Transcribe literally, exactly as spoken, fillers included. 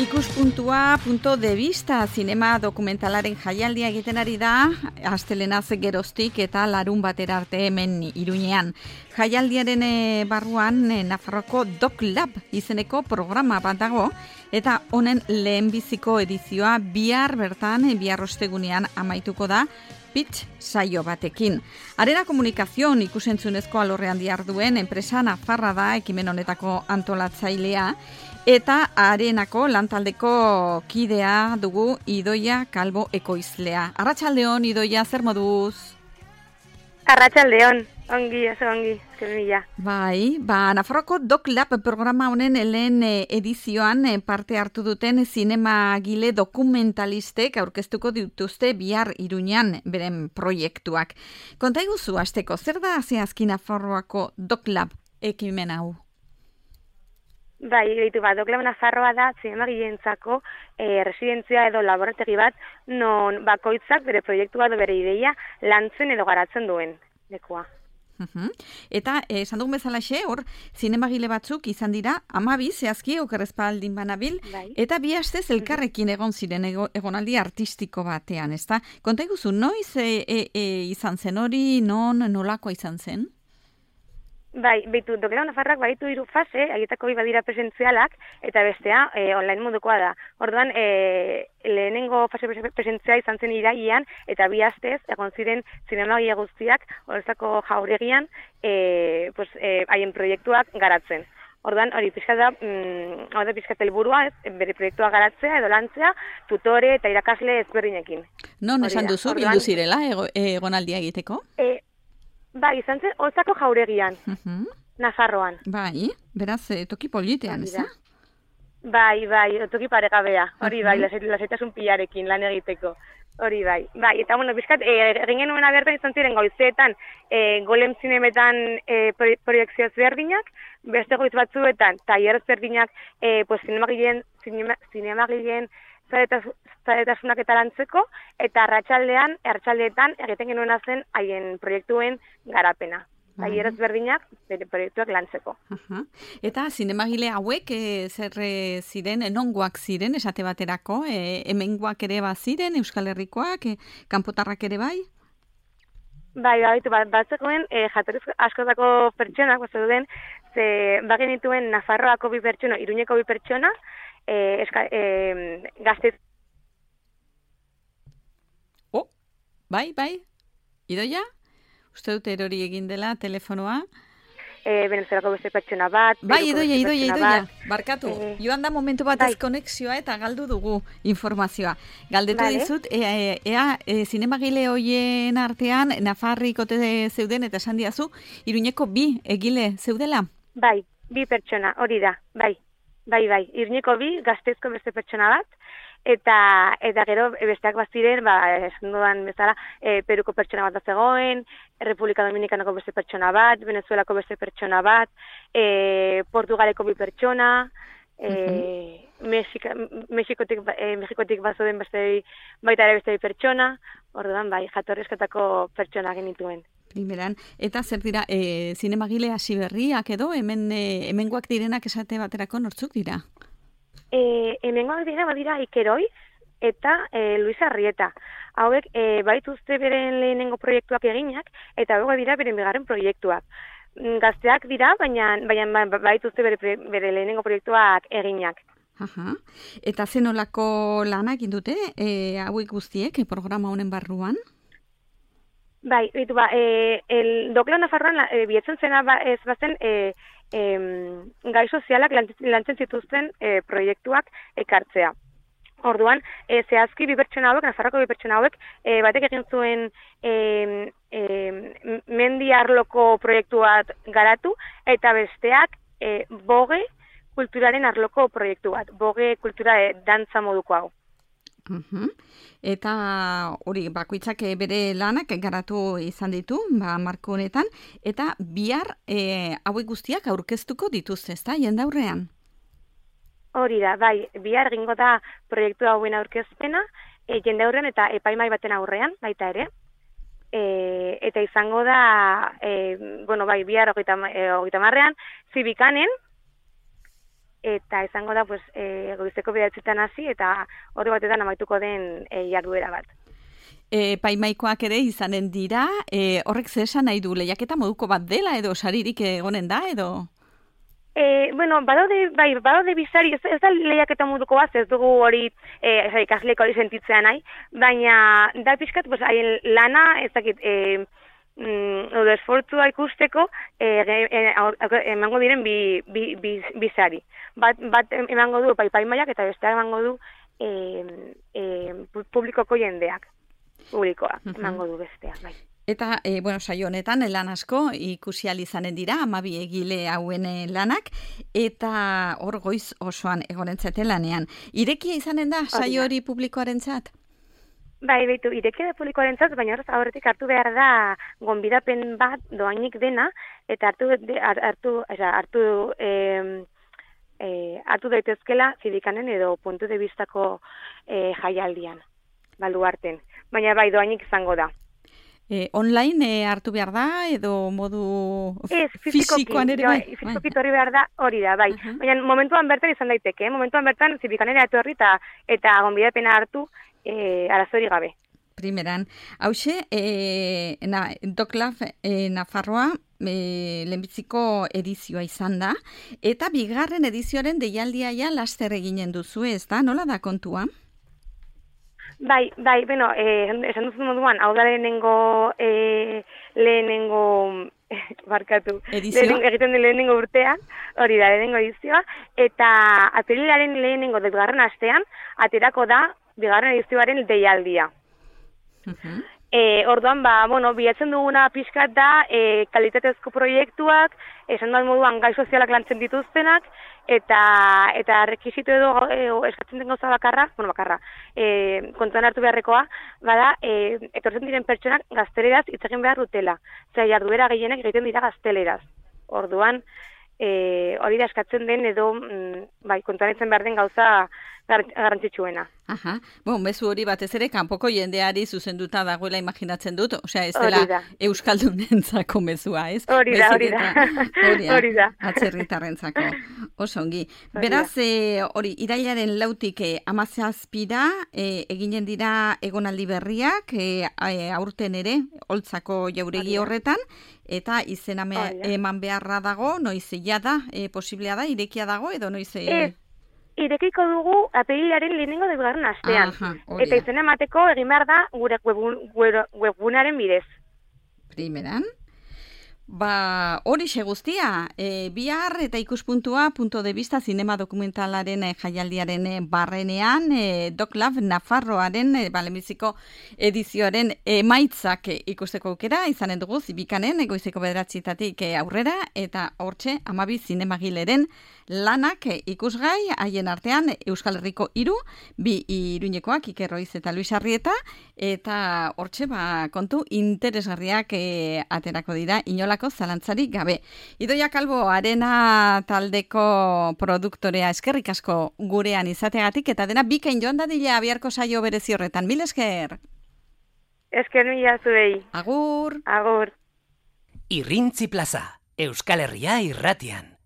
Ikuspuntua punto de vista zinema dokumentalaren jaialdia egiten ari da, astelenaz geroztik eta larun batera arte hemen Iruñean. Jaialdiaren e, barruan e, Nafarroko Doc Lab izeneko programa bat dago, eta honen lehenbiziko edizioa bihar bertan, bihar ostegunean amaituko da, pitch saio batekin. Arena Komunikazion ikusentzunezko alorrean diharduen enpresa nafarra da ekimen honetako antolatzailea, eta Arenako lantaldeko kidea dugu Idoia Kalbo ekoizlea. Arratsaldeon, Idoia, zer moduz? Arratsaldeon, ongi, oso ongi, zermila. Bai, ba, Nafarroko Doc Lab programa honen lehen edizioan parte hartu duten zinemagile dokumentalistek aurkeztuko dituzte bihar Iruñean beren proiektuak. Konta iguzu, hasteko, zer da zehazki Nafarroako Doc Lab ekimen hau? Bai, ditu bat, Doc Lab Nafarroa da zinemagileentzako e, residentzia edo laborategi bat non bakoitzak bere proiektua edo bere ideia lantzen edo garatzen duen lekua. Uh-huh. Eta esan dugun bezalaxe, hor, zinemagile batzuk izan dira amabi zehazki okerrezpaldin banabil, bai. Eta bi astez elkarrekin egon ziren ego, egonaldi artistiko batean, ezta? Konta iguzu, noiz e, e, e, izan zen hori, non, nolako izan zen? Bai, behitu, Doc Lab Nafarrak baditu hiru fase, haietako bi badira presentzialak, eta bestea e, online modukoa da. Orduan, e, lehenengo fase presentzia izan zen irailean, eta bi astez, egon ziren zinemagile guztiak, horrezako jauregian, e, pues, e, haien proiektuak garatzen. Orduan, hori pixka da, mm, hau da pixka helburua, ez, bere proiektua garatzea edo lantzea, tutore eta irakasle ezberdinekin. Non esan duzu, bildu zirela, egonaldia egiteko? E, Bai, izan zen, Oltzako jauregian, uh-huh. Nafarroan. Bai, beraz, toki politean, ez da? Bai, bai, toki paregabea, hori bai, uh-huh. Lasaitasun pilarekin lan egiteko, hori bai. Bai, eta bueno, bizkat, egin genuen abertan izan ziren goizeetan, e, golem zinemetan e, proiektzio ezberdinak, beste goiz batzuetan, tailer ezberdinak, e, pues, zinemagileen, zinema, zinemagileen, zaretasunak eta lantzeko, eta arratsaldean, arratsaldeetan egiten genuena zen haien proiektuen garapena. Tailer ezberdinak bere proiektuak lantzeko. Uh-huh. Eta zinemagile hauek e, zer e, ziren, nongoak ziren, esate baterako, e, hemengoak ere baziren, Euskal Herrikoak, e, kanpotarrak ere bai? Bai, baitu, bat, batzekoen, e, jatorriz askotako pertsonak, bat zeuden, ze bagenituen Nafarroako bi pertsona, Iruñeko bi pertsona, E, eska, e, gaztez. Oh, bai, bai. Idoia? Uste dut erori egin dela telefonoa? E, Venezuelako beste pertsona bat. Bai, Idoia, Idoia, Idoia. Barkatu. E, Joan da momentu bat bai. Ez konexioa eta galdu dugu informazioa. Galdetu vale. Dizut, ea, ea e, zinemagile hoien artean Nafarrikote zeuden eta esan diazu, Iruñeko bi egile zeudela? Bai, bi pertsona, hori da, bai. Bai, bai, Iruñeko bi, Gazteizko beste pertsona bat, eta eta gero besteak baziren, ba, esan dudan bezala, e, Peruko pertsona bat zegoen, Republika Dominikanako beste pertsona bat, Venezuelako beste pertsona bat, e, Portugaleko bi pertsona, e, uh-huh. Mexika, Mexikotik, e, Mexikotik bazoden beste baita ere beste bi pertsona, orduan bai, jatorrizketako pertsona genituen. Primeran, eta zer dira, e, zinemagile hasi berriak edo, hemen e, hemengoak direnak esate baterako nortzuk dira? E, hemengoak dira, badira Ikeroi eta e, Luis Arrieta. Hauek, e, baituzte beren lehenengo proiektuak eginak, eta hauek dira beren bigarren proiektuak. Gazteak dira, baina, baina baituzte bere, bere lehenengo proiektuak eginak. Aha. Eta zenolako lanak indute, e, hauek guztiek, programa honen barruan? Bai, bitu ba, e, el Doc Lab Nafarroan e, bietzen zena ba, ez bazen e, e, gai sozialak lantzen zituzten e, proiektuak ekartzea. Orduan, e, zehazki bi pertsona hauek, Nafarroko bi pertsona hauek, e, batek egin zuen e, e, mendi arloko proiektu bat garatu, eta besteak e, boge kulturaren arloko proiektu bat, boge kultura e, dantza moduko hau. Uh-huh. Eta hori bakoitzak bere lanak garatu izan ditu, ba, marko honetan, eta bihar e, hauek guztiak aurkeztuko dituzte, ezta, jendaurrean? Hori da, bai, bihar egingo da proiektu hauen aurkezpena, e, jendaurrean eta epaimai baten aurrean, baita ere. E, eta izango da, e, bueno, bai, bihar hogeita marrean, zibikanen, eta izango da pues, e, goizeko bederatzitan hasi eta ordu batetan amaituko den e, jarduera bat. E, paimaikoak ere izanen dira, e, horrek ze esan nahi du, lehiaketa moduko bat dela edo saririk egonen da edo? E, bueno, badaude, bai, badaude bizari, ez, ez da lehiaketa moduko bat, ez dugu hori e, ikasleeko hori sentitzea nahi, baina da pixkat, pues, haien lana, ez dakit, e, mm, edo esfortzua ikusteko e, e, emango diren bi, bi, bi, bizari. Bat, bat emango du paimaiak eta besteak emango du e, e, publikoko jendeak. Publikoa, emango du besteak, bai. Eta, e, bueno, saio honetan, lan asko ikusi ahal izanen dira, hamabi egile hauen lanak, eta hor goiz osoan egonentzate lanean. Irekia izanen da, saio hori publikoarentzat? Bai, behitu, irekia da publikoarentzat, baina horrez aurretik hartu behar da gonbidapen bat doainik dena, eta hartu, hartu, hartu, hartu, eh, eh, hartu daitezkela zidikanen edo puntu de vistako eh, jaialdian, baluarten. Baina bai, doainik izango da. Eh, online eh, hartu behar da, edo modu ez, fizikoan ere? Bai, fizikoki torri behar da, hori da, bai. Uh-huh. Baina momentuan bertan izan daiteke, eh? momentuan bertan zibikanera etorri eta, eta gonbidapena hartu eh, arazori gabe. Primeran, hause, eh, na, Doklaf eh, Nafarroa eh, lehenbitziko edizioa izan da, eta bigarren edizioaren deialdia ja laster eginen duzu, ez da? Nola da kontua? Bai, bai, bueno, eh, esan duzu moduan, hau da lehenengo, eh, lehenengo, barkatu, lehenengo, egiten den lehenengo urtean, hori da, lehenengo edizioa, eta apirilaren lehenengo bigarren astean, aterako da bigarren edizioaren deialdia. Uh-huh. E, orduan, ba, bueno, bilatzen duguna pixkat da e, kalitatezko proiektuak, esan duan moduan gai sozialak lantzen dituztenak, eta eta rekisito edo e, eskatzen den gauza bakarra, bueno, bakarra, e, kontuan hartu beharrekoa, bada, e, etortzen diren pertsonak gazteleraz hitz egin behar dutela. Zer, jarduera gehienek egiten dira gazteleraz. Orduan, e, hori da eskatzen den edo, mm, bai, kontuan etzen behar den gauza garrantzitsuena. Aha, bon, bezu hori batez ere kanpoko jendeari zuzenduta dagoela imaginatzen dut, osea ez dela euskaldunentzako mezua, ez? Hori da, hori da. Hori da. Atzerritarrentzako. Oso ongi. Beraz, hori, e, irailaren lautik e, amazazpira e, eginen dira egonaldi berriak, e, aurten ere, holtzako jauregi horretan, eta izena eman beharra dago, noiz jada, e, posiblea da, irekia dago, edo noiz... E, Irekiko dugu apirilaren lehenengo da bigarren astean. Aha, eta izena emateko egin behar da gure webgunaren bidez. Primeran. Ba, hori xe guztia, e, bihar eta ikuspuntua punto de vista zinema dokumentalaren e, jaialdiaren e, barrenean, e, Doklaf Nafarroaren e, balemiziko edizioaren emaitzak e, ikusteko aukera, izanen dugu zibikanen, egoizeko bederatzitatik e, aurrera, eta hortxe amabi zinemagileren lanak e, ikusgai, haien artean Euskal Herriko hiru, bi Iruñekoak, Iker Roiz eta Luis Arrieta, eta hortxe ba, kontu interesgarriak e, aterako dira, inolak zalantzarik gabe. Idoia Kalbo, Arena taldeko produktorea, eskerrik asko gurean izateagatik, eta dena bikain joan dadila biharko saio berezi horretan. Mil esker! Esker mila zuei. Agur! Agur! Irrintzi plaza, Euskal Herria irratian.